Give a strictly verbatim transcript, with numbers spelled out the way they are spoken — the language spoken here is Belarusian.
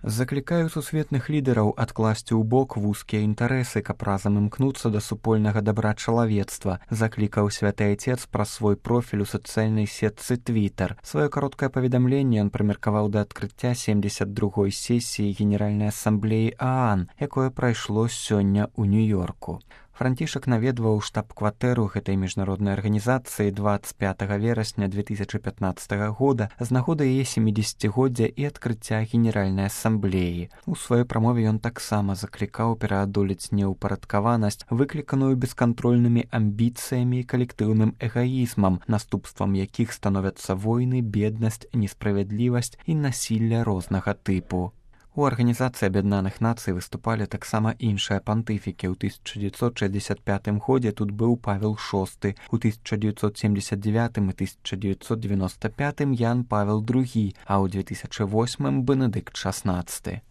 Заклікаю сусветных лідараў адкласці ў бок вузкія інтарэсы, каб разам імкнуцца да супольнага дабра чалавецтва, заклікаў святы айцец праз свой профіль у сацыяльнай сетцы Twitter. Сваё кароткае паведамленне ён прымеркаваў да адкрыцця семдзесят другой сесіі Генеральнай асамблеі ААН, якое прайшло сёння ў Нью-Йорку. Францішак наведваў штаб-кватэру гэтай міжнароднай арганізацыі дваццаць пятага верасня две тысячы пятнаццатага года з нагоды яе сямідзесяцігоддзя і адкрыцця Генеральнай асамблеі. У сваёй прамове ён таксама заклікаў пераадолець неўпарадкаванасць, выкліканую бескантрольнымі амбіцыямі і калектыўным эгаізмам, наступствам якіх становяцца войны, беднасць, несправядлівасць і насілля рознага тыпу. У Арганізацыі Аб'яднаных Нацый выступалі таксама іншыя пантыфікі. У тысяча дзевяцьсот шэсцьдзесят пятым годзе тут быў Павел шосты, у тысяча дзевяцьсот семдзесят дзевятым і тысяча дзевяцьсот девяносто пятым Ян Павел другі, а ў две тысячы восьмым Бенедыкт шаснаццаты.